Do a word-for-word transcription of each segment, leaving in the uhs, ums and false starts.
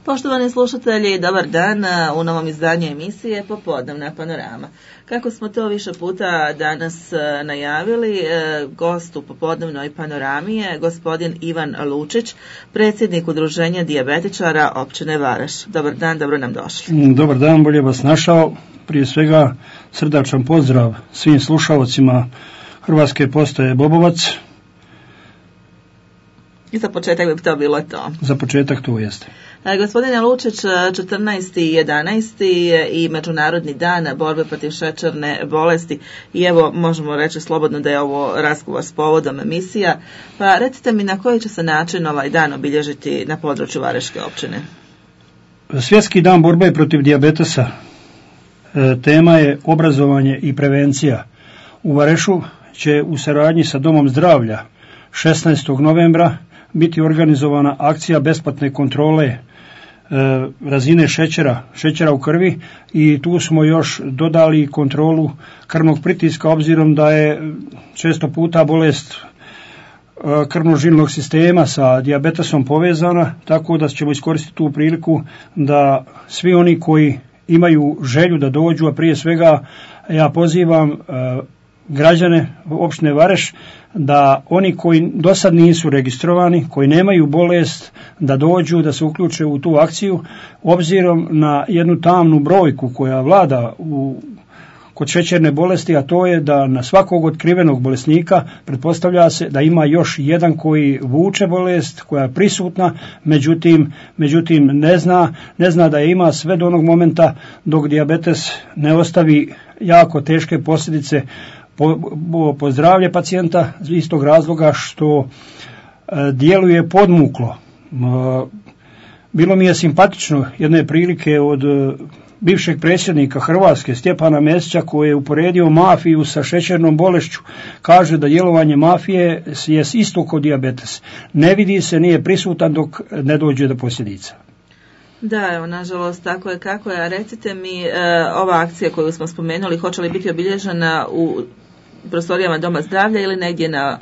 Poštovani slušatelji, dobar dan u novom izdanju emisije Popodnevna panorama. Kako smo to više puta danas najavili, gost u Popodnevnoj panorami je gospodin Ivan Lučić, predsjednik Udruženja dijabetičara općine Varaš. Dobar dan, dobro nam došli. Dobar dan, bolje vas našao. Prije svega srdačan pozdrav svim slušalcima Hrvatske postaje Bobovac. I za početak bi to bilo to. Za početak to jeste. E, gospodine Lučić, četrnaesti jedanaesti i Međunarodni dan borbe protiv šećerne bolesti i evo možemo reći slobodno da je ovo razgovor s povodom emisija. Pa recite mi na koji će se način ovaj dan obilježiti na području Varaške općine? Svjetski dan borbe protiv dijabetesa. E, tema je obrazovanje i prevencija. U Varešu će u saradnji sa Domom zdravlja šesnaestog novembra biti organizovana akcija besplatne kontrole e, razine šećera, šećera u krvi i tu smo još dodali kontrolu krvnog pritiska obzirom da je često puta bolest e, krvno-žilnog sistema sa dijabetesom povezana, tako da ćemo iskoristiti tu priliku da svi oni koji imaju želju da dođu, a prije svega ja pozivam e, građane općine Vareš da oni koji do sad nisu registrovani, koji nemaju bolest, da dođu, da se uključe u tu akciju, obzirom na jednu tamnu brojku koja vlada u, kod šećerne bolesti, a to je da na svakog otkrivenog bolesnika pretpostavlja se da ima još jedan koji vuče bolest, koja je prisutna, međutim, međutim ne zna, ne zna da je ima sve do onog momenta dok dijabetes ne ostavi jako teške posljedice Po, po, po zdravlje pacijenta iz tog razloga što e, djeluje podmuklo. E, bilo mi je simpatično jedne prilike od e, bivšeg predsjednika Hrvatske Stjepana Mesića koji je uporedio mafiju sa šećernom bolešću. Kaže da djelovanje mafije je isto kod dijabetes. Ne vidi se, nije prisutan dok ne dođe do posljedica. Da, evo, nažalost, tako je kako je. A recite mi, e, ova akcija koju smo spomenuli, hoće li biti obilježena u prostorijama Doma zdravlja ili negdje na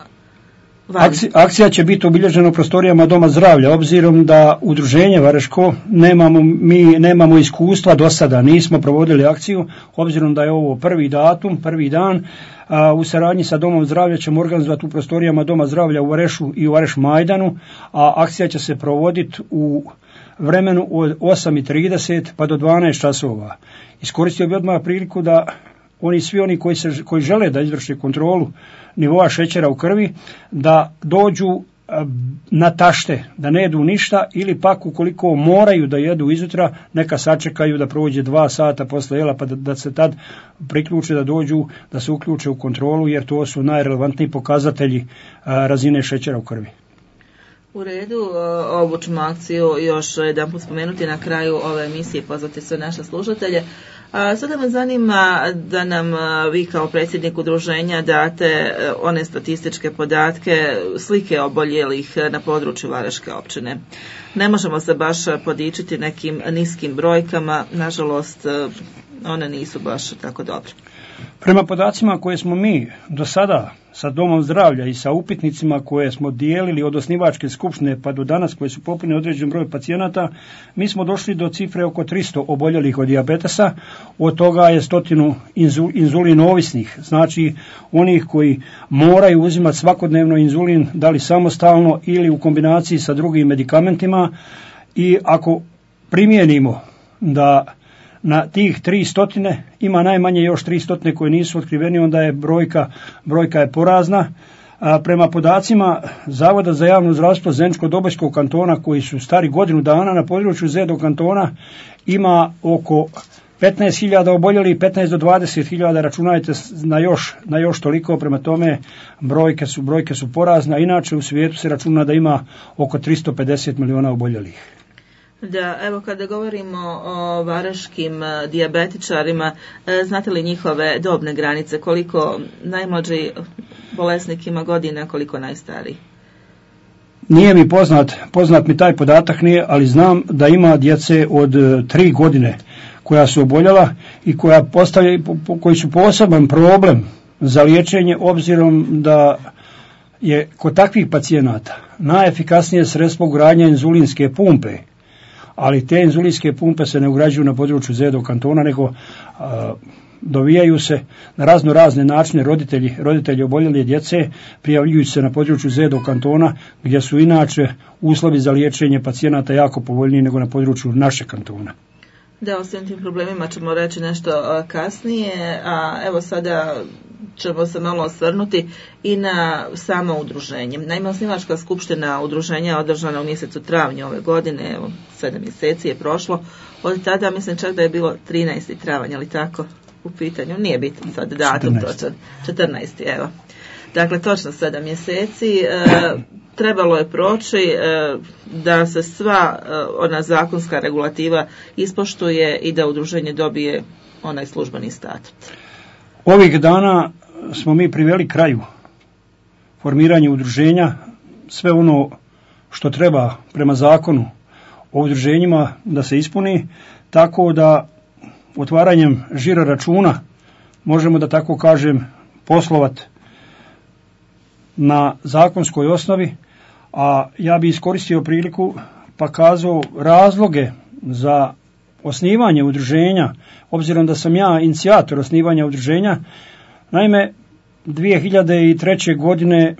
van? Akcija, akcija će biti obilježena u prostorijama Doma zdravlja, obzirom da udruženje Vareško nemamo, mi nemamo iskustva do sada, nismo provodili akciju, obzirom da je ovo prvi datum, prvi dan, a u saradnji sa Domom zdravlja ćemo organizovati u prostorijama Doma zdravlja u Varešu i u Vareš Majdanu, a akcija će se provoditi u vremenu od osam i trideset pa do dvanaest časova. Iskoristio bi odmah priliku da oni svi oni koji, se, koji žele da izvrše kontrolu nivoa šećera u krvi, da dođu na tašte, da ne jedu ništa ili pak ukoliko moraju da jedu izutra, neka sačekaju da prođe dva sata posle jela pa da, da se tad priključe, da dođu, da se uključe u kontrolu jer to su najrelevantniji pokazatelji a, razine šećera u krvi. U redu, ovu ćemo akciju još jedan put spomenuti na kraju ove emisije, pozvati sve naše slušatelje. A sada me zanima da nam vi kao predsjednik udruženja date one statističke podatke, slike oboljelih na području Varaške općine. Ne možemo se baš podičiti nekim niskim brojkama, nažalost one nisu baš tako dobre. Prema podacima koje smo mi do sada sa Domom zdravlja i sa upitnicima koje smo dijelili od osnivačke skupštine pa do danas koje su popunili određen broj pacijenata, mi smo došli do cifre oko tristo oboljelih od dijabetesa, od toga je stotinu inzulin ovisnih, znači onih koji moraju uzimati svakodnevno inzulin, da li samostalno ili u kombinaciji sa drugim medikamentima i ako primijenimo da na tih tri stotine ima najmanje još tri stotine koje nisu otkriveni, onda je brojka, brojka je porazna. A prema podacima Zavoda za javno zdravstvo Zeničko-Dobojskog kantona koji su stari godinu dana na području Zedo kantona ima oko petnaest hiljada oboljelih, petnaest do dvadeset hiljada, računajte na još, na još toliko, prema tome brojke su, brojke su porazne, inače u svijetu se računa da ima oko tristo pedeset milijuna oboljelih. Da, evo kada govorimo o varaškim dijabetičarima, znate li njihove dobne granice, koliko najmlađi bolesnik ima godina, koliko najstariji? Nije mi poznat, poznat mi taj podatak nije, ali znam da ima djece od tri godine koja su oboljela i koja postavlja, koji su poseban problem za liječenje, obzirom da je kod takvih pacijenata najefikasnije sredstvo ugradnja inzulinske pumpe, ali te inzulinske pumpe se ne ugrađuju na području Zedo kantona, nego a, dovijaju se na razno razne načine roditelji, roditelji oboljele djece, prijavljuju se na području Zedo kantona, gdje su inače uslovi za liječenje pacijenata jako povoljniji nego na području našeg kantona. Da, o svim tim problemima ćemo reći nešto kasnije, a evo sada ćemo se malo osvrnuti i na samo udruženje. Naime, osnivačka skupština udruženja je održana u mjesecu travnju ove godine, evo, sedam mjeseci je prošlo, od tada mislim čak da je bilo trinaesti travanj, ali tako u pitanju, nije bitan sad datum točan, četrnaesti evo. Dakle, točno sedam mjeseci, e, trebalo je proći e, da se sva e, ona zakonska regulativa ispoštuje i da udruženje dobije onaj službeni statut. Ovih dana smo mi priveli kraju formiranje udruženja, sve ono što treba prema zakonu o udruženjima da se ispuni, tako da otvaranjem žiro računa možemo, da tako kažem, poslovati na zakonskoj osnovi, a ja bi iskoristio priliku pa kazao razloge za osnivanje udruženja, obzirom da sam ja inicijator osnivanja udruženja. Naime, dvije hiljade treće. godine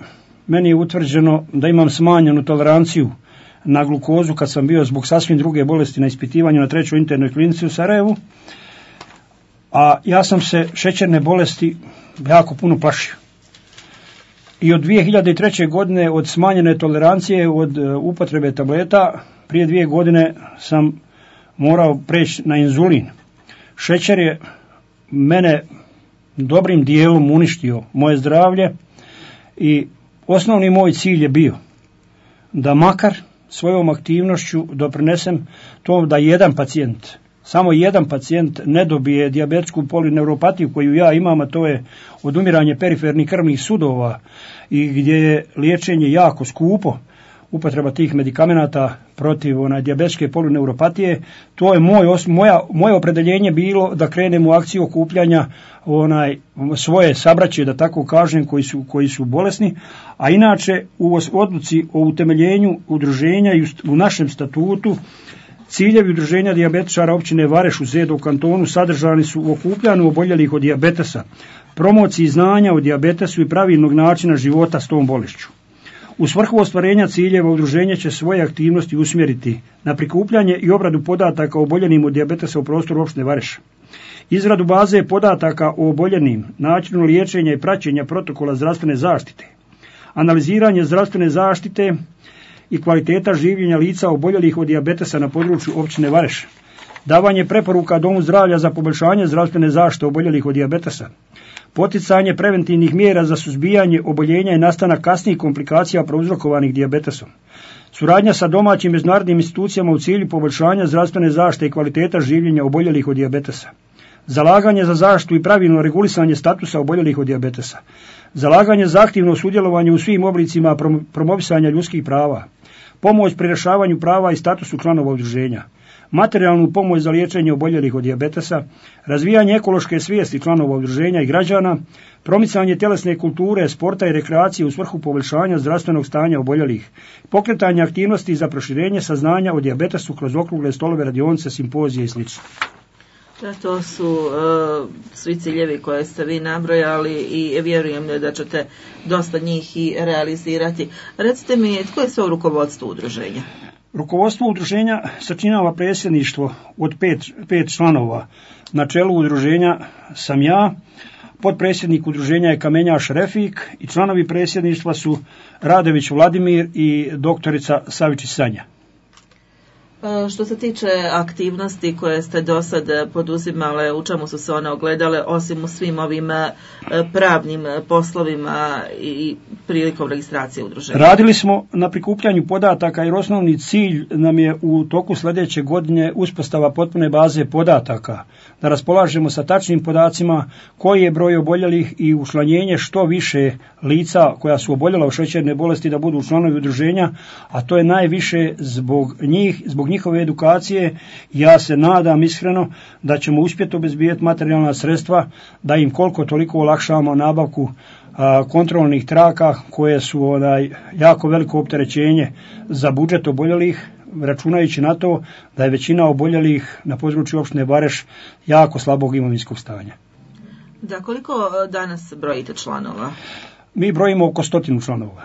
meni je utvrđeno da imam smanjenu toleranciju na glukozu kad sam bio zbog sasvim druge bolesti na ispitivanju na trećoj internoj klinici u Sarajevu, a ja sam se šećerne bolesti jako puno plašio. I od dvije hiljade treće. godine od smanjene tolerancije, od upotrebe tableta, prije dvije godine sam morao preći na inzulin. Šećer je mene dobrim dijelom uništio moje zdravlje i osnovni moj cilj je bio da makar svojom aktivnošću doprinesem to da jedan pacijent, samo jedan pacijent ne dobije dijabetsku polineuropatiju koju ja imam, a to je odumiranje perifernih krvnih sudova i gdje je liječenje jako skupo, upotreba tih medikamenata protiv onaj dijabetske polineuropatije. To je moj, moja, moje opredeljenje bilo da krenem u akciju okupljanja onaj svoje sabraće, da tako kažem, koji su, koji su bolesni, a inače u odluci o utemeljenju udruženja i u našem statutu ciljevi udruženja dijabetičara općine Vareš u Zedo kantonu sadržani su u okupljanju oboljelih od dijabetesa, promociji znanja o dijabetesu i pravilnog načina života s tom bolešću. U svrhu ostvarenja ciljeva udruženje će svoje aktivnosti usmjeriti na prikupljanje i obradu podataka o oboljenim od dijabetesa u prostoru opštine Vareš, izradu baze podataka o oboljenim, načinu liječenja i praćenja protokola zdravstvene zaštite, analiziranje zdravstvene zaštite i kvaliteta življenja lica oboljelih od dijabetesa na području općine Vareš, davanje preporuka Domu zdravlja za poboljšanje zdravstvene zaštite oboljelih od dijabetesa, poticanje preventivnih mjera za suzbijanje oboljenja i nastanak kasnijih komplikacija prouzrokovanih dijabetesom, suradnja sa domaćim međunarodnim institucijama u cilju poboljšanja zdravstvene zaštite i kvaliteta življenja oboljelih od dijabetesa, zalaganje za zaštitu i pravilno regulisanje statusa oboljelih od dijabetesa, zalaganje za aktivno sudjelovanje u svim oblicima promovisanja ljudskih prava, pomoć pri rješavanju prava i statusu članova udruženja, materijalnu pomoć za liječenje oboljelih od dijabetesa, razvijanje ekološke svijesti članova udruženja i građana, promicanje tjelesne kulture, sporta i rekreacije u svrhu poboljšanja zdravstvenog stanja oboljelih, pokretanje aktivnosti za proširenje saznanja o dijabetesu kroz okrugle stolove, radionice, simpozije i sl. Da, to su uh, svi ciljevi koje ste vi nabrojali i vjerujem da ćete dosta njih i realizirati. Recite mi, tko je sve u rukovodstvu udruženja? Rukovodstvo udruženja sačinjava predsjedništvo od pet, pet članova. Na čelu udruženja sam ja, potpredsjednik udruženja je Kamenjaš Refik i članovi predsjedništva su Radović Vladimir i doktorica Savičić Sanja. Što se tiče aktivnosti koje ste do sad poduzimale, u čemu su se one ogledale, osim u svim ovim pravnim poslovima i prilikom registracije udruženja? Radili smo na prikupljanju podataka jer osnovni cilj nam je u toku sljedeće godine uspostava potpune baze podataka, da raspolažemo sa tačnim podacima koji je broj oboljelih i učlanjenje što više lica koja su oboljela od šećerne bolesti da budu članovi udruženja, a to je najviše zbog njih, zbog njihove edukacije. Ja se nadam iskreno da ćemo uspjeti obezbijeti materijalna sredstva da im koliko toliko olakšamo nabavku a, kontrolnih traka koje su onaj, jako veliko opterećenje za budžet oboljelih, računajući na to da je većina oboljelih na području opštine Vareš jako slabog imovinskog stanja. Da, koliko danas brojite članova? Mi brojimo oko stotinu članova.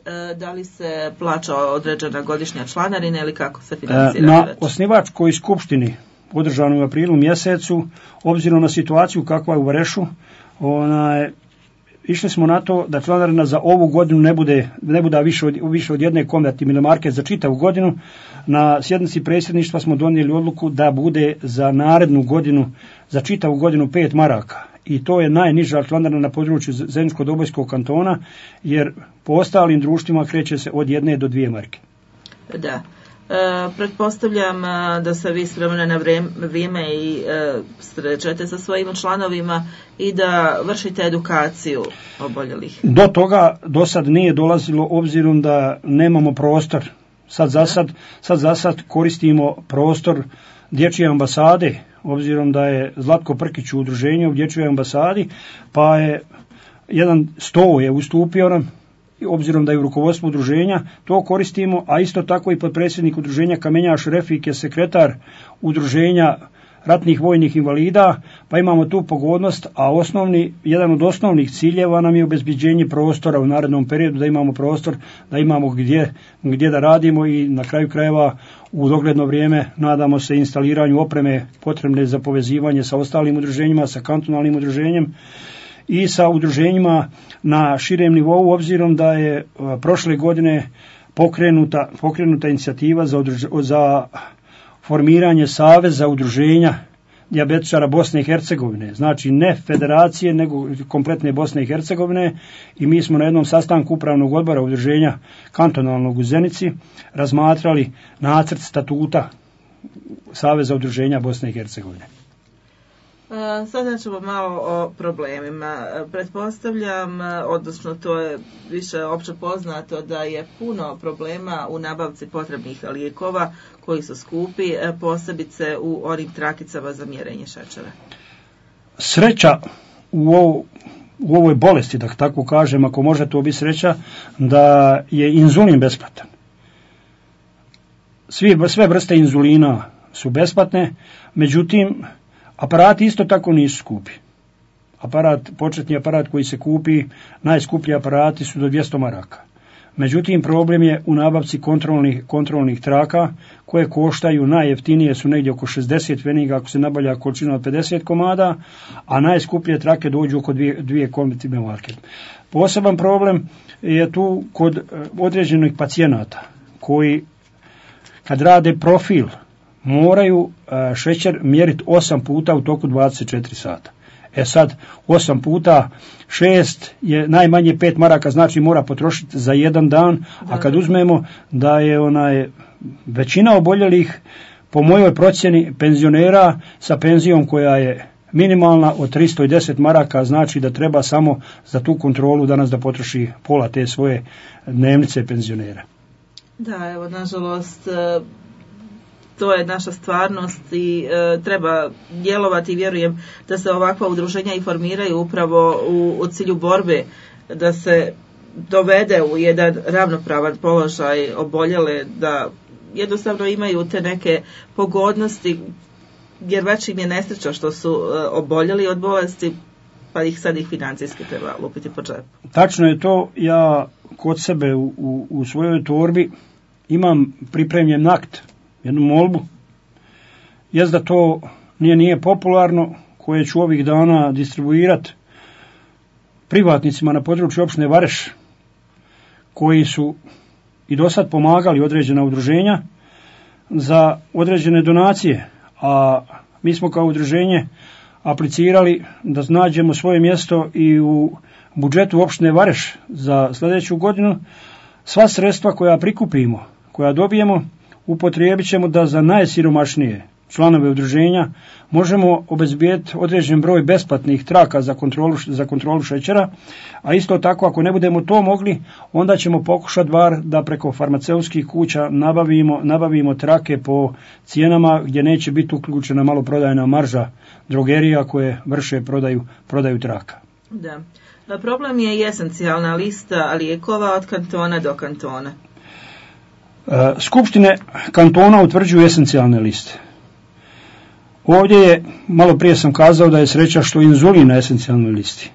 E, da li se plaća određena godišnja članarina ili kako se financira? Na već? osnivačkoj skupštini održanoj u aprilu mjesecu, obzirom na situaciju kakva je u Varešu, onaj, išli smo na to da članarina za ovu godinu ne bude, ne bude više, od, više od jedne konvertibilne marke za čitavu godinu. Na sjednici predsjedništva smo donijeli odluku da bude za narednu godinu, za čitavu godinu pet maraka. I to je najniža članarina na području Zeničko-Dobojskog kantona, jer po ostalim društvima kreće se od jedne do dvije marke. Da. E, pretpostavljam da se vi s vremena na vrijeme i e, srećete sa svojim članovima i da vršite edukaciju oboljelih. Do toga do sad nije dolazilo obzirom da nemamo prostor. Sad za sad, sad za sad koristimo prostor dječje ambasade, obzirom da je Zlatko Prkić u udruženju u dječjoj ambasadi, pa je jedan sto je ustupio nam, obzirom da je u rukovodstvu udruženja, to koristimo, a isto tako i potpredsjednik udruženja Kamenjaš Refik je sekretar udruženja ratnih vojnih invalida, pa imamo tu pogodnost, a osnovni, jedan od osnovnih ciljeva nam je obezbeđenje prostora u narednom periodu, da imamo prostor, da imamo gdje, gdje da radimo i na kraju krajeva u dogledno vrijeme nadamo se instaliranju opreme potrebne za povezivanje sa ostalim udruženjima, sa kantonalnim udruženjem i sa udruženjima na širem nivou, obzirom da je prošle godine pokrenuta, pokrenuta inicijativa za, udruž, za formiranje saveza udruženja dijabetičara Bosne i Hercegovine, znači ne federacije nego kompletne Bosne i Hercegovine, i mi smo na jednom sastanku upravnog odbora udruženja kantonalnog u Zenici razmatrali nacrt statuta saveza udruženja Bosne i Hercegovine. Sada ćemo malo o problemima. Pretpostavljam, odnosno to je više opće poznato, da je puno problema u nabavci potrebnih lijekova koji su skupi, posebice u onim trakicama za mjerenje šećera. Sreća u, ovo, u ovoj bolesti, da tako kažem, ako može to biti sreća, da je inzulin besplatan. Svi, sve vrste inzulina su besplatne, međutim, aparati isto tako nisu skupi. Aparat, početni aparat koji se kupi, najskuplji aparati su do dvjesto maraka. Međutim, problem je u nabavci kontrolnih, kontrolnih traka koje koštaju, najjeftinije su negdje oko šezdeset pfeniga ako se nabavlja količina od pedeset komada, a najskuplje trake dođu oko dvije, dvije konvertibilne marke. Poseban problem je tu kod određenih pacijenata koji kad rade profil moraju šećer mjeriti osam puta u toku dvadeset četiri sata. E sad, osam puta šest je najmanje pet maraka, znači mora potrošiti za jedan dan, a kad uzmemo da je onaj većina oboljelih, po mojoj procjeni, penzionera sa penzijom koja je minimalna od tristo deset maraka, znači da treba samo za tu kontrolu danas da potroši pola te svoje dnevnice penzionera. Da, evo, nažalost, to je naša stvarnost i e, treba djelovati i vjerujem da se ovakva udruženja i formiraju upravo u, u cilju borbe, da se dovede u jedan ravnopravan položaj oboljele, da jednostavno imaju te neke pogodnosti, jer već im je nesreća što su e, oboljeli od bolesti, pa ih sad ih financijski treba lupiti po džepu. Tačno je to, ja kod sebe u, u, u svojoj torbi imam pripremljen akt, jednu molbu, jest da to nije, nije popularno, koje ću ovih dana distribuirati privatnicima na području opštine Vareš, koji su i do sad pomagali određena udruženja za određene donacije, a mi smo kao udruženje aplicirali da nađemo svoje mjesto i u budžetu opštine Vareš za sljedeću godinu. Sva sredstva koja prikupimo, koja dobijemo, upotrijebit ćemo da za najsiromašnije članove udruženja možemo obezbijeti određen broj besplatnih traka za kontrolu, za kontrolu šećera, a isto tako ako ne budemo to mogli, onda ćemo pokušati bar da preko farmaceutskih kuća nabavimo, nabavimo trake po cijenama gdje neće biti uključena maloprodajna marža drogerija koje vrše prodaju, prodaju traka. Da. Problem je i esencijalna lista lijekova od kantona do kantona. Skupštine kantona utvrđuju esencijalne liste. Ovdje je, malo prije sam kazao da je sreća što inzulin na esencijalnoj listi.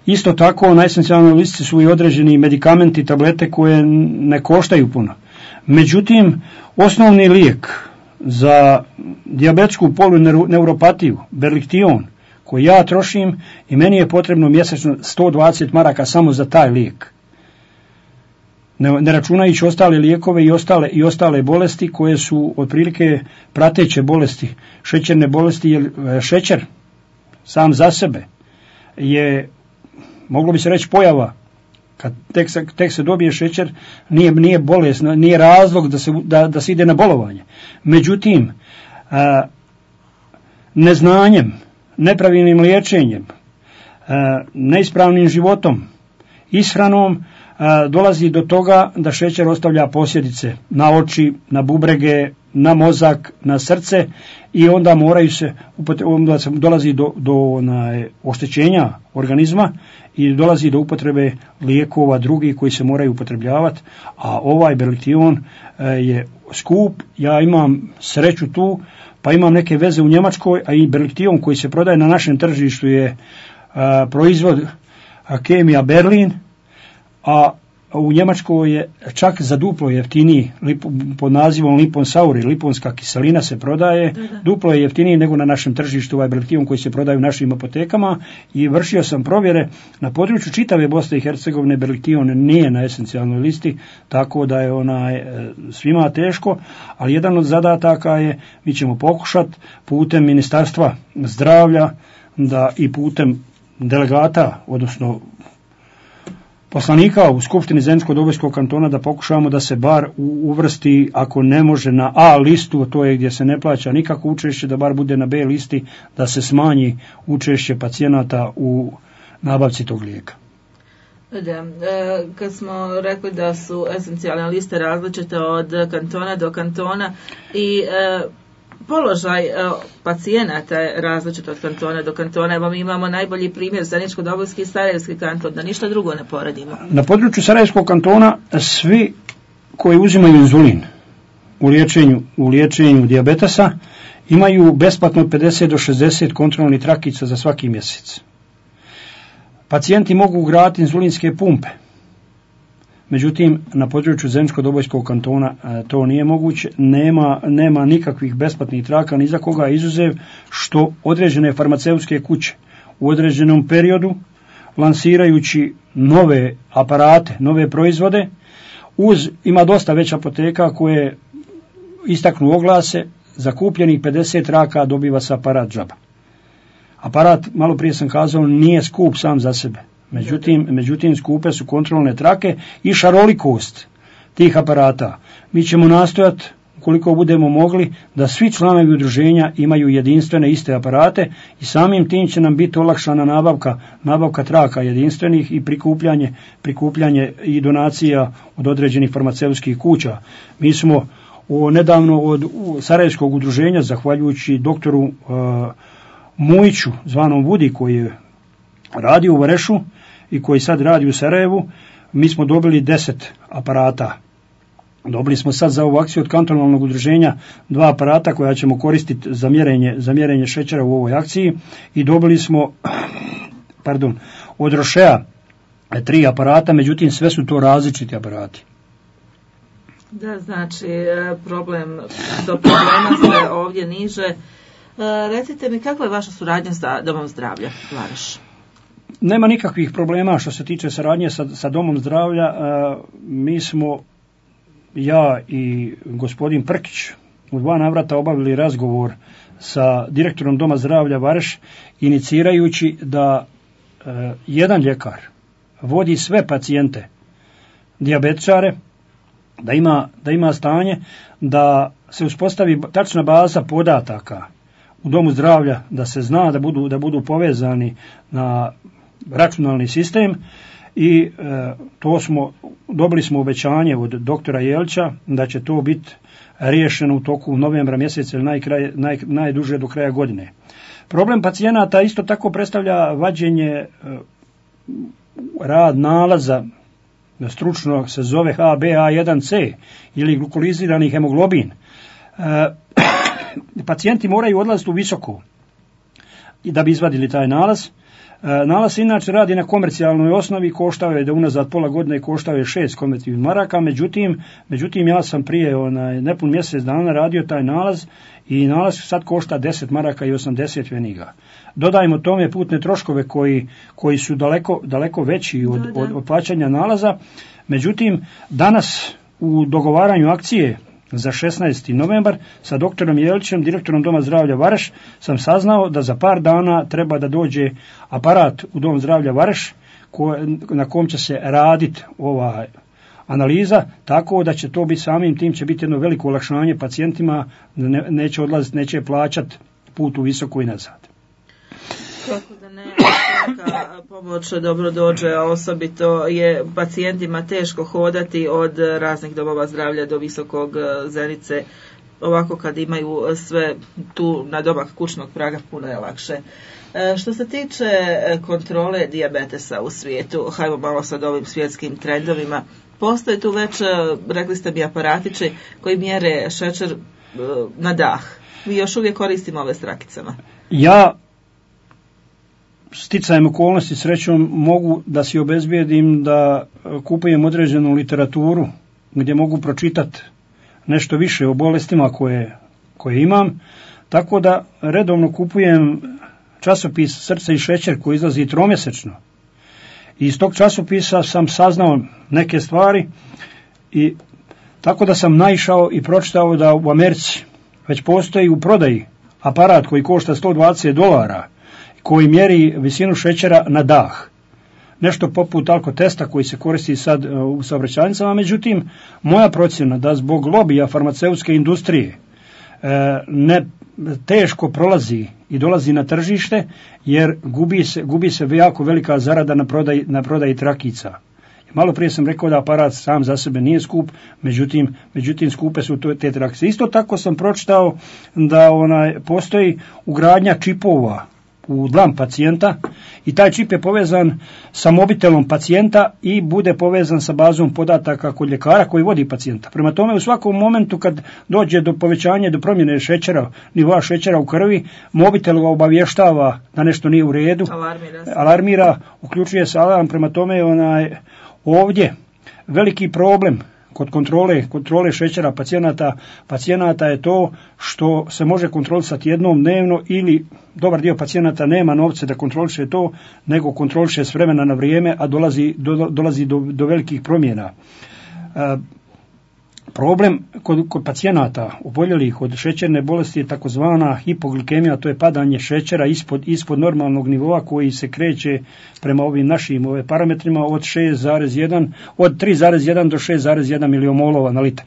Isto tako na esencijalnoj listi su i određeni medikamenti, tablete koje ne koštaju puno. Međutim, osnovni lijek za dijabetsku polineuropatiju, Berliktion, koji ja trošim i meni je potrebno mjesečno sto dvadeset maraka samo za taj lijek. Ne, ne računajući ostale lijekove i ostale, i ostale bolesti koje su otprilike prateće bolesti, šećerne bolesti, jer šećer sam za sebe je, moglo bi se reći, pojava. Kad tek se, tek se dobije šećer, nije, nije bolest, nije razlog da se, da, da se ide na bolovanje. Međutim, a, neznanjem, nepravilnim liječenjem, a, neispravnim životom, ishranom, a, dolazi do toga da šećer ostavlja posljedice na oči, na bubrege, na mozak, na srce i onda moraju se, onda se dolazi do, do na, oštećenja organizma i dolazi do upotrebe lijekova drugih koji se moraju upotrebljavati, a ovaj Berliktion je skup. Ja imam sreću tu, pa imam neke veze u Njemačkoj, a i Berliktion koji se prodaje na našem tržištu je a, proizvod Kemija Berlin, a u Njemačkoj je čak za duplo jeftiniji, pod nazivom Liponsauri, liponska kiselina se prodaje, da, da. Duplo je jeftiniji nego na našem tržištu ovaj Berliktion koji se prodaje u našim apotekama i vršio sam provjere na području čitave Bosne i Hercegovine. Berliktion nije na esencijalnoj listi, tako da je onaj svima teško, ali jedan od zadataka je, mi ćemo pokušati putem Ministarstva zdravlja da i putem delegata, odnosno poslanika u Skupštini Zeničko-Dobojskog kantona da pokušamo da se bar uvrsti, ako ne može na A listu, to je gdje se ne plaća nikako učešće, da bar bude na B listi, da se smanji učešće pacijenata u nabavci tog lijeka. Da, kad smo rekli da su esencijalne liste različite od kantona do kantona i položaj pacijenata je različit od kantona do kantona. Evo mi imamo najbolji primjer Zeničko-Dobojski i Sarajevski kanton, da ništa drugo ne poredimo. Na području Sarajevskog kantona svi koji uzimaju inzulin u liječenju, u liječenju dijabetesa imaju besplatno od pedeset do šezdeset kontrolnih trakica za svaki mjesec. Pacijenti mogu ugraditi inzulinske pumpe. Međutim, na području Zeničko-Dobojskog kantona to nije moguće, nema, nema nikakvih besplatnih traka ni za koga, izuzev što određene farmaceutske kuće u određenom periodu, lansirajući nove aparate, nove proizvode, uz, ima dosta već apoteka koje istaknu oglase, za kupljenih pedeset traka dobiva se aparat džaba. Aparat, malo prije sam kazao, nije skup sam za sebe. Međutim, međutim, skupe su kontrolne trake i šarolikost tih aparata. Mi ćemo nastojati, koliko budemo mogli, da svi članovi udruženja imaju jedinstvene iste aparate i samim tim će nam biti olakšana nabavka, nabavka traka jedinstvenih i prikupljanje, prikupljanje i donacija od određenih farmaceutskih kuća. Mi smo o, nedavno od Sarajevskog udruženja, zahvaljujući doktoru uh, Mujiću, zvanom Vudi, koji je radio u Varešu i koji sad radi u Sarajevu, mi smo dobili deset aparata. Dobili smo sad za ovu akciju od kantonalnog udruženja dva aparata koja ćemo koristiti za mjerenje, za mjerenje šećera u ovoj akciji i dobili smo pardon, od Rošea tri aparata, međutim sve su to različiti aparati. Da, znači problem, do problema se ovdje niže. Recite mi, kakva je vaša suradnja sa Domom zdravlja Vareš? Nema nikakvih problema što se tiče saradnje sa, sa Domom zdravlja. E, mi smo, ja i gospodin Prkić, u dva navrata obavili razgovor sa direktorom Doma zdravlja Vareš, inicirajući da e, jedan ljekar vodi sve pacijente, dijabetičare, da ima, da ima stanje, da se uspostavi tačna baza podataka u Domu zdravlja, da se zna da budu, da budu povezani na računalni sistem i e, to smo, dobili smo obećanje od doktora Jelića da će to biti riješeno u toku novembra mjeseca ili najkraj, naj, najduže do kraja godine. Problem pacijenata isto tako predstavlja vađenje, e, rad nalaza stručno se zove H b A jedan C ili glukolizirani hemoglobin, pacijenti moraju odlaziti u visoko i da bi izvadili taj nalaz. Nalaz se inače radi na komercijalnoj osnovi, koštao je da unazad pola godine koštao je šest konvertibilnih maraka, međutim, međutim ja sam prije onaj, nepun mjesec dana radio taj nalaz i nalaz sad košta deset maraka i osamdeset pfeniga. Dodajmo tome putne troškove koji, koji su daleko, daleko veći od, da, da. od, od plaćanja nalaza, međutim danas u dogovaranju akcije za šesnaesti novembar sa doktorom Jelićem, direktorom Doma zdravlja Vareš, sam saznao da za par dana treba da dođe aparat u Dom zdravlja Vareš ko, na kom će se raditi ova analiza, tako da će to biti samim tim će biti jedno veliko olakšanje pacijentima, ne, neće odlaziti, neće plaćati put u visoko i nazad. Kako da ne, svaka pomoć dobro dođe, a osobito je pacijentima teško hodati od raznih domova zdravlja do Visokog Zenice. Ovako kad imaju sve tu na domak kućnog praga puno je lakše. E, što se tiče kontrole dijabetesa u svijetu, hajmo malo sad ovim svjetskim trendovima, postoje tu već, rekli ste mi, aparatići koji mjere šećer na dah. Mi još uvijek koristimo ove s rakicama. Ja sticajem okolnosti srećom mogu da si obezbijedim da kupujem određenu literaturu gdje mogu pročitati nešto više o bolestima koje, koje imam, tako da redovno kupujem časopis Srce i šećer koji izlazi tromjesečno. I iz tog časopisa sam saznao neke stvari i tako da sam naišao i pročitao da u Americi već postoji u prodaji aparat koji košta sto dvadeset dolara, koji mjeri visinu šećera na dah. Nešto poput alkotesta koji se koristi sad u saobraćajnicama, međutim, moja procjena da zbog lobija farmaceutske industrije ne teško prolazi i dolazi na tržište, jer gubi se, gubi se jako velika zarada na prodaji, na prodaji trakica. Malo prije sam rekao da aparat sam za sebe nije skup, međutim, međutim skupe su te trakice. Isto tako sam pročitao da onaj, postoji ugradnja čipova u dlan pacijenta i taj čip je povezan sa mobitelom pacijenta i bude povezan sa bazom podataka kod ljekara koji vodi pacijenta. Prema tome u svakom momentu kad dođe do povećanja, do promjene šećera, nivoa šećera u krvi, mobitel ga obavještava da nešto nije u redu, alarmira, alarmira uključuje se alarm. Prema tome onaj, ovdje veliki problem kod kontrole, kontrole šećera pacijenata, pacijenata je to što se može kontrolisati jednom dnevno ili dobar dio pacijenata nema novce da kontroliše to, nego kontroliše s vremena na vrijeme, a dolazi do, dolazi do, do velikih promjena. E, problem kod, kod pacijenata oboljelih od šećerne bolesti je takozvana hipoglikemija, to je padanje šećera ispod, ispod normalnog nivoa koji se kreće prema ovim našim ove parametrima od šest zarez jedan, od tri zarez jedan do šest zarez jedan milimolova na litar.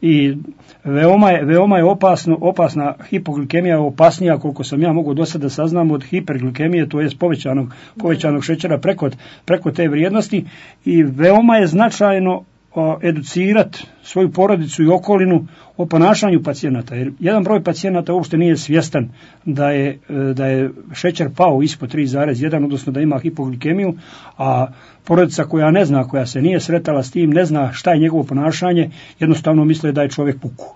I veoma je, veoma je opasno, opasna hipoglikemija, je opasnija koliko sam ja mogu do sada saznam od hiperglikemije, to je povećanog, povećanog šećera preko, preko te vrijednosti, i veoma je značajno educirati svoju porodicu i okolinu o ponašanju pacijenata, jer jedan broj pacijenata uopšte nije svjestan da je, da je šećer pao ispod tri zarez jedan, odnosno da ima hipoglikemiju, a porodica koja ne zna, koja se nije sretala s tim, ne zna šta je njegovo ponašanje, jednostavno misle da je čovjek puku.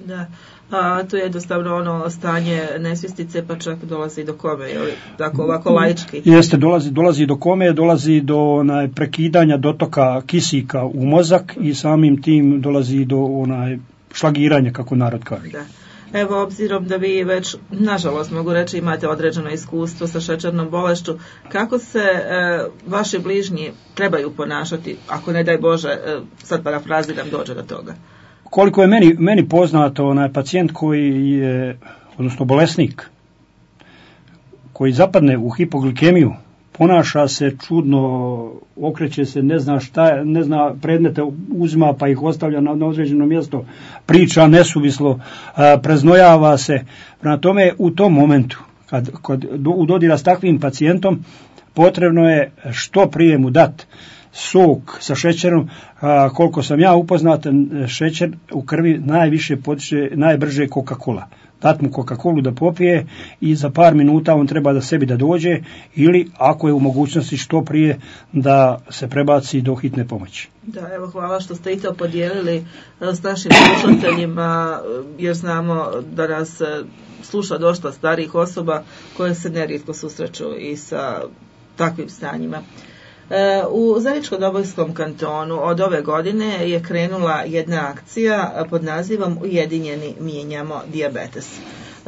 Da, a to je jednostavno ono stanje nesvjestice, pa čak dolazi do kome, ili tako ovako laički? Jeste, dolazi, dolazi do kome, dolazi do onaj, prekidanja dotoka kisika u mozak i samim tim dolazi do onaj, šlagiranja, kako narod kaže. Da. Evo, obzirom da vi već, nažalost mogu reći, imate određeno iskustvo sa šećernom bolešću, kako se e, vaši bližnji trebaju ponašati, ako ne daj Bože, e, sad parafraziram, dođe do toga? Koliko je meni, meni poznato, onaj pacijent koji je, odnosno bolesnik, koji zapadne u hipoglikemiju, ponaša se čudno, okreće se, ne zna šta, ne zna predmete, uzima pa ih ostavlja na, na određeno mjesto, priča nesuvislo, a, preznojava se. Prema tome, u tom momentu, kad, kad do, u dodira s takvim pacijentom, potrebno je što prije mu dati sok sa šećerom. A, koliko sam ja upoznat, šećer u krvi najviše potiče, najbrže Coca-Cola. dat mu Coca-Colu da popije i za par minuta on treba da sebi da dođe ili ako je u mogućnosti što prije da se prebaci do hitne pomoći. Da, evo hvala što ste i to podijelili s našim slušateljima, jer znamo da nas sluša dosta starijih osoba koje se nerijetko susreću i sa takvim stanjima. U Zeničko-Dobojskom kantonu od ove godine je krenula jedna akcija pod nazivom Ujedinjeni mijenjamo dijabetes.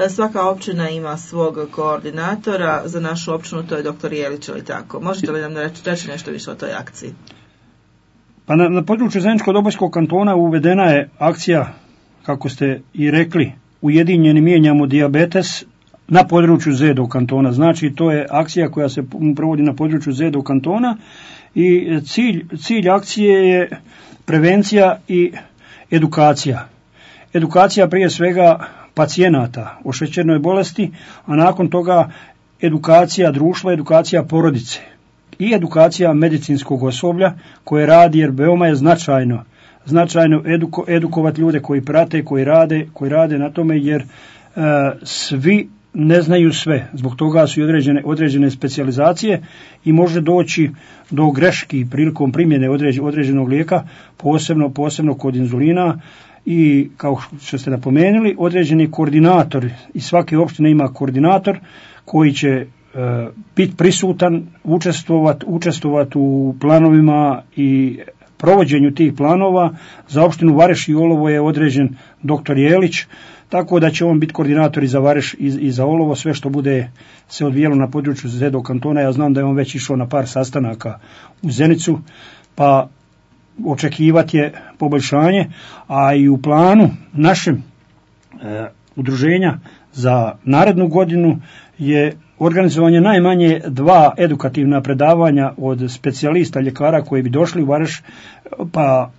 Svaka općina ima svog koordinatora, za našu općinu to je doktor Jelić, ili tako. Možete li nam reći, reći nešto više o toj akciji? Pa na, na području Zeničko-Dobojskog kantona uvedena je akcija, kako ste i rekli, Ujedinjeni mijenjamo dijabetes na području Zedo kantona. Znači to je akcija koja se provodi na području Zedo kantona i cilj, cilj akcije je prevencija i edukacija. Edukacija prije svega pacijenata o šećernoj bolesti, a nakon toga edukacija društva, edukacija porodice i edukacija medicinskog osoblja koje radi, jer veoma je značajno značajno eduko, edukovati ljude koji prate, koji rade, koji rade na tome, jer e, svi ne znaju sve. Zbog toga su i određene, određene specijalizacije i može doći do greški prilikom primjene određ, određenog lijeka, posebno, posebno kod inzulina. I kao što ste napomenuli, određeni koordinator i svake opštine ima koordinator koji će e, biti prisutan, učestvovati učestvovat u planovima i provođenju tih planova. Za opštinu Vareš i Olovo je određen doktor Jelić, tako da će on biti koordinator i za Vareš i, i za Olovo, sve što bude se odvijelo na području Zedo kantona. Ja znam da je on već išao na par sastanaka u Zenicu, pa očekivati je poboljšanje, a i u planu našem e, udruženja za narednu godinu je organizovanje najmanje dva edukativna predavanja od specijalista ljekara koji bi došli u Vareš pa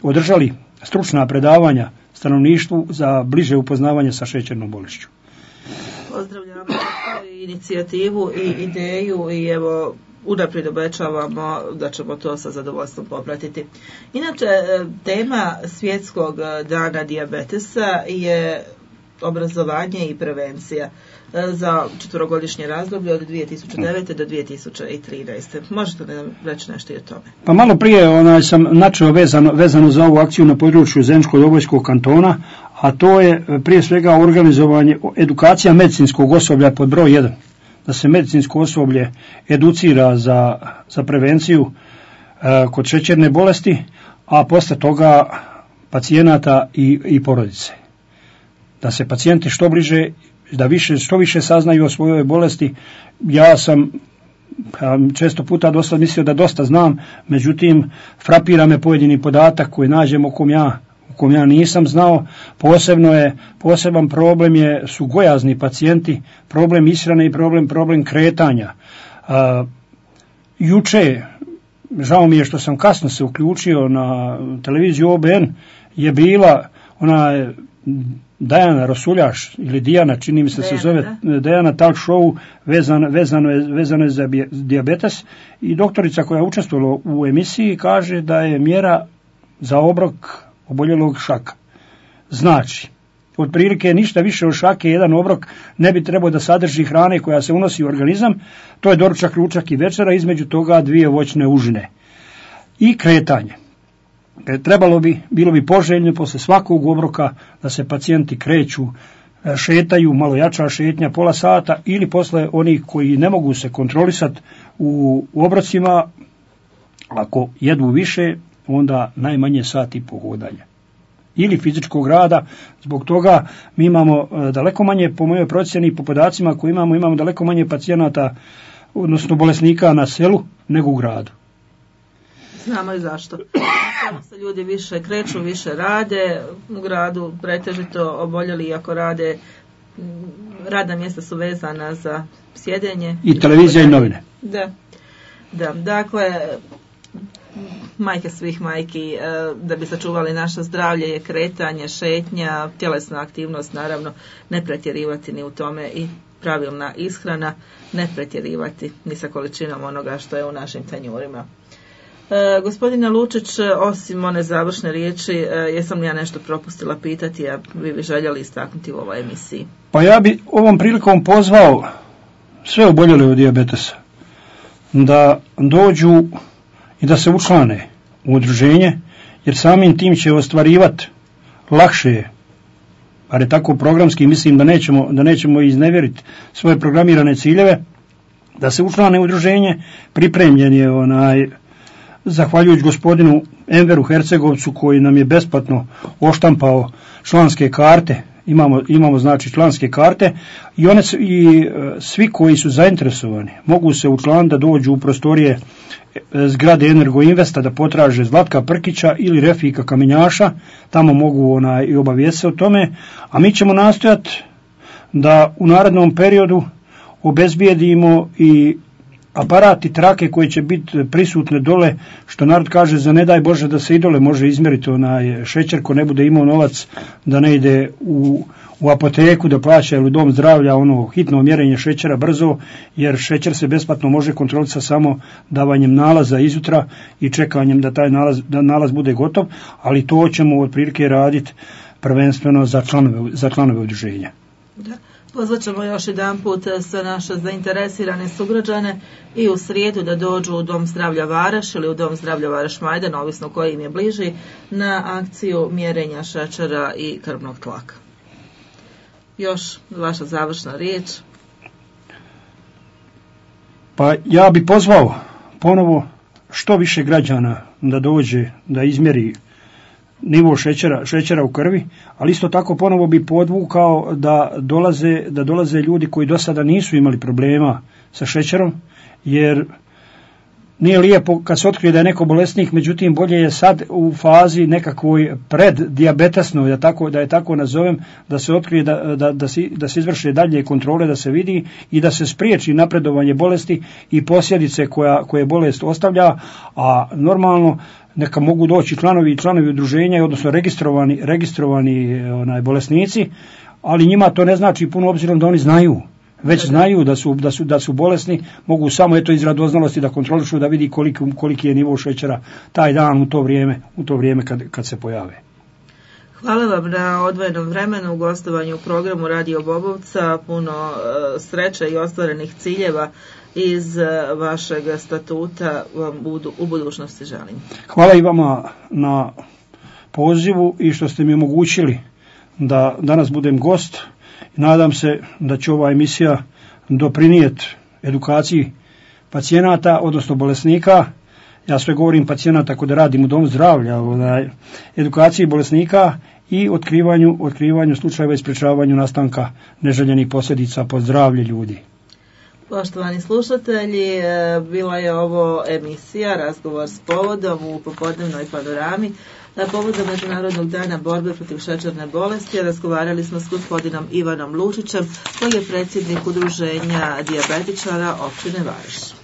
održali stručna predavanja stanovništvu za bliže upoznavanje sa šećernom bolešću. Pozdravljamo inicijativu i ideju i evo unaprijed obećavamo da ćemo to sa zadovoljstvom popratiti. Inače, tema Svjetskog dana dijabetesa je obrazovanje i prevencija za četverogodišnje razdoblje od dvije tisuće devete. do dvije tisuće trinaeste. Možete li nam reći nešto i o tome? Pa malo prije onaj, sam načeo vezano, vezano za ovu akciju na području Zeničko-Dobojskog kantona, a to je prije svega organizovanje, edukacija medicinskog osoblja pod broj jedan. Da se medicinsko osoblje educira za, za prevenciju e, kod šećerne bolesti, a posle toga pacijenata i, i porodice. Da se pacijenti što bliže, da više, što više saznaju o svojoj bolesti. Ja sam često puta dosta mislio da dosta znam, međutim frapira me pojedini podatak koji nađem o kom ja u kom ja nisam znao. Posebno je, poseban problem je, su gojazni pacijenti, problem ishrane i problem, problem kretanja. A, juče, žao mi je što sam kasno se uključio na televiziju O B N, je bila ona Dajana Rosuljaš ili Dijana, čini mi se Dejana, se zove da? Dejana talk show vezano, vezano, je, vezano je za dijabetes i doktorica koja je učestvovala u emisiji kaže da je mjera za obrok oboljelog šaka. Znači, otprilike ništa više od šake, jedan obrok ne bi trebao da sadrži hrane koja se unosi u organizam, to je doručak, ručak i večera, između toga dvije voćne užine. I kretanje. Trebalo bi, bilo bi poželjno posle svakog obroka da se pacijenti kreću, šetaju, malo jača šetnja, pola sata, ili posle onih koji ne mogu se kontrolisati u obrocima, ako jedu više, onda najmanje sat i po hodanja. Ili fizičkog rada, zbog toga mi imamo daleko manje, po mojoj procjeni i po podacima koji imamo, imamo daleko manje pacijenata, odnosno bolesnika na selu, nego u gradu. Znamo i zašto. Samo se ljudi više kreću, više rade, u gradu pretežito oboljeli, iako rade, radna mjesta su vezana za sjedenje. I televizija i novine. Da, da, dakle, majke svih majki, da bi sačuvali naše zdravlje je kretanje, šetnja, tjelesna aktivnost, naravno, ne pretjerivati ni u tome i pravilna ishrana, ne pretjerivati ni sa količinom onoga što je u našim tanjurima. E, gospodine Lučić, osim one završne riječi, e, jesam li ja nešto propustila pitati, a vi bi željeli istaknuti u ovoj emisiji? Pa ja bi ovom prilikom pozvao sve oboljele od dijabetesa da dođu i da se učlane u udruženje, jer samim tim će ostvarivati lakše, ali tako programski, mislim da nećemo, da nećemo iznevjeriti svoje programirane ciljeve, da se učlane u udruženje. Pripremljen je onaj, zahvaljujući gospodinu Enveru Hercegovcu koji nam je besplatno oštampao članske karte. Imamo, imamo znači članske karte i one su, i svi koji su zainteresovani mogu se učlaniti da dođu u prostorije zgrade Energoinvesta, da potraže Zlatka Prkića ili Refika Kamenjaša, tamo mogu onaj, i obavijesti se o tome, a mi ćemo nastojati da u narednom periodu obezbijedimo i aparati trake koji će biti prisutne dole, što narod kaže, za ne daj Bože da se i dole može izmjeriti onaj šećer, ko ne bude imao novac da ne ide u, u apoteku da plaća ili u dom zdravlja ono hitno mjerenje šećera brzo, jer šećer se besplatno može kontrolisati samo davanjem nalaza izutra i čekanjem da taj nalaz, da nalaz bude gotov, ali to ćemo otprilike raditi prvenstveno za članove, za članove udruženja. Da. Pozvat ćemo još jedan put sve naše zainteresirane sugrađane i u srijedu da dođu u Dom zdravlja Varaš ili u Dom zdravlja Varaš Majdan, ovisno koji im je bliži, na akciju mjerenja šećera i krvnog tlaka. Još vaša završna riječ. Pa ja bi pozvao ponovo što više građana da dođe, da izmjeri nivo šećera, šećera u krvi, ali isto tako ponovo bi podvukao da dolaze, da dolaze ljudi koji do sada nisu imali problema sa šećerom, jer nije lijepo kad se otkrije da je neko bolesnik, međutim bolje je sad u fazi nekakvoj preddijabetasnoj, da, tako, da je tako nazovem, da se otkrije, da, da, da, se, da se izvrše dalje kontrole, da se vidi i da se spriječi napredovanje bolesti i posljedice koja, koje bolest ostavlja, a normalno neka mogu doći članovi i članovi udruženja, odnosno registrovani, registrovani onaj, bolesnici, ali njima to ne znači puno obzirom da oni znaju. Već znaju da su, da su, da su bolesni, mogu samo eto iz radoznalosti da kontrolišu, da vidi koliki, koliki je nivo šećera taj dan u to vrijeme, u to vrijeme kad, kad se pojave. Hvala vam na odvojenom vremenu, gostovanju u programu Radio Bobovca, puno uh, sreće i ostvarenih ciljeva iz uh, vašeg statuta vam budu, u budućnosti želim. Hvala i vama na pozivu i što ste mi omogućili da danas budem gost. Nadam se da će ova emisija doprinijeti edukaciji pacijenata, odnosno bolesnika. Ja sve govorim pacijenata kod radim u domu zdravlja, edukaciji bolesnika i otkrivanju, otkrivanju slučajeva i sprječavanju nastanka neželjenih posljedica po zdravlje ljudi. Poštovani slušatelji, bila je ovo emisija Razgovor s povodom u popodnevnoj panorami. Povodom Međunarodnog dana borbe protiv šećerne bolesti razgovarali smo s gospodinom Ivanom Lučićem, koji je predsjednik udruženja dijabetičara općine Varaš.